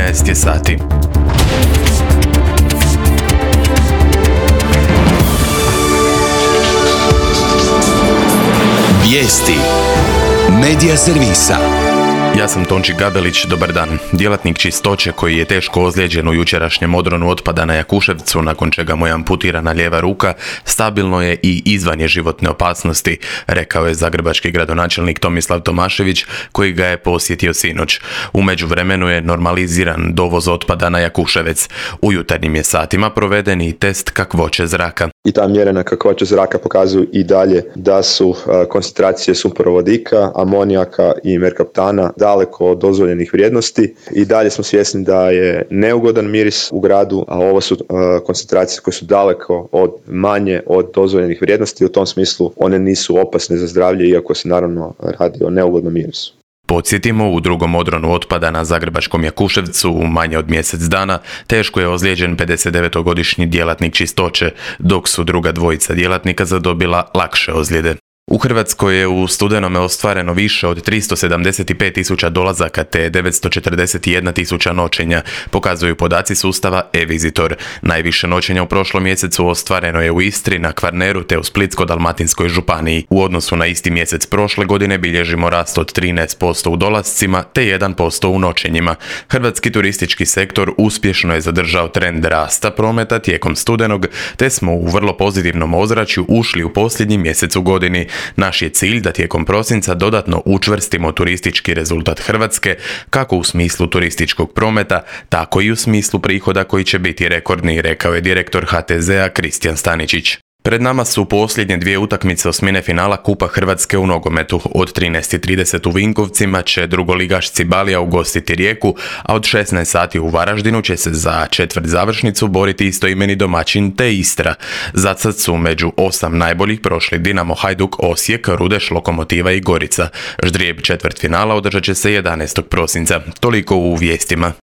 13 je sati. Vijesti Medija servisa. Ja sam Tonči Gabelić, dobar dan. Djelatnik čistoće koji je teško ozlijeđen u jučerašnjem odronu otpada na Jakuševcu, nakon čega mu je amputirana lijeva ruka, stabilno je i izvan je životne opasnosti, rekao je zagrebački gradonačelnik Tomislav Tomašević, koji ga je posjetio sinoć. U međuvremenu je normaliziran dovoz otpada na Jakuševec. U jutarnjim je satima proveden i test kakvoće zraka. I ta mjerena kakvoća zraka pokazuju i dalje da su koncentracije sumporovodika, amonijaka i merkaptana daleko od dozvoljenih vrijednosti. I dalje smo svjesni da je neugodan miris u gradu, a ovo su koncentracije koje su daleko manje od dozvoljenih vrijednosti. U tom smislu one nisu opasne za zdravlje, iako se naravno radi o neugodnom mirisu. Podsjetimo, u drugom odronu otpada na zagrebačkom Jakuševcu u manje od mjesec dana teško je ozlijeđen 59-godišnji djelatnik čistoće, dok su druga dvojica djelatnika zadobila lakše ozljede. U Hrvatskoj je u studenome ostvareno više od 375.000 dolazaka te 941.000 noćenja, pokazuju podaci sustava e-Visitor. Najviše noćenja u prošlom mjesecu ostvareno je u Istri, na Kvarneru te u Splitsko-dalmatinskoj županiji. U odnosu na isti mjesec prošle godine bilježimo rast od 13% u dolascima te 1% u noćenjima. Hrvatski turistički sektor uspješno je zadržao trend rasta prometa tijekom studenog, te smo u vrlo pozitivnom ozračju ušli u posljednji mjesec u godini. Naš je cilj da tijekom prosinca dodatno učvrstimo turistički rezultat Hrvatske, kako u smislu turističkog prometa, tako i u smislu prihoda koji će biti rekordni, rekao je direktor HTZ-a Kristijan Staničić. Pred nama su posljednje dvije utakmice osmine finala Kupa Hrvatske u nogometu. Od 13:30 u Vinkovcima će drugoligaš Cibalija ugostiti Rijeku, a od 16 sati u Varaždinu će se za četvrt završnicu boriti istoimeni domaćin te Istra. Zacad su među 8 najboljih prošli Dinamo, Hajduk, Osijek, Rudeš, Lokomotiva i Gorica. Ždrijeb četvrtfinala održat će se 11. prosinca. Toliko u vijestima.